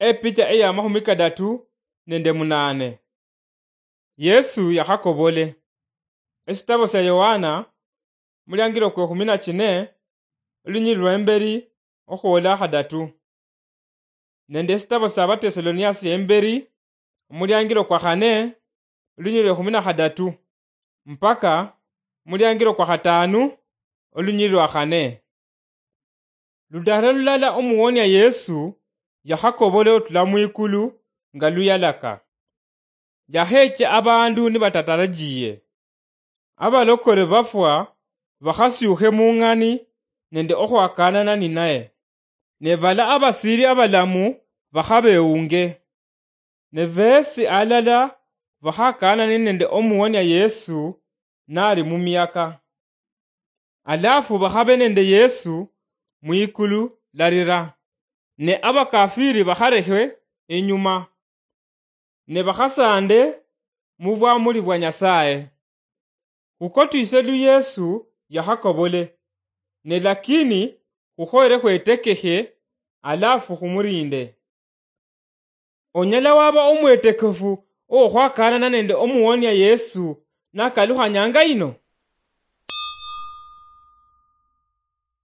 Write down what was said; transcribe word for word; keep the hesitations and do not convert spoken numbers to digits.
Epicha eya makhumi kadatu nende munane. Yesu yakhakobole. Esitabo sia Yohana, muliangilo kwe khumi na chine, olunyili lwa imberi okhwola khadatu. Nende esitabo sia Batesaloniasi sia imberi, omuliangilo kwa khane, olunyili lwe khumi na khadatu, mpaka muliangilo kwa khatanu, olunyili lwa khane. Ludala lulala omuwonia Yesu yakhakobola otula mwikulu nga luyalaka. Yakheche abandu nibatatarajiye. Abalokole bafwa bakhasiukhe mung'ani nende okhwakanana ninaye. Ne bala abasili abalamu bakhabeunge. Ne besi alala bakhakanane nende omuwonia Yesu nali mumiaka. Alafu bakhabe nende Yesu mwikulu larira. Ne abakafiri bakharekhe inyuma. Ne bakhasande mubwamuli bwa Nyasaye. Khukotwise lu Yesu yakhakobole, ne lakini khukhoyere khwetekekhe, alafu khumurinde. Onyala waba omwetekefu okhwakaanana nende omuwonia Yesu nakalukha nyanga yino?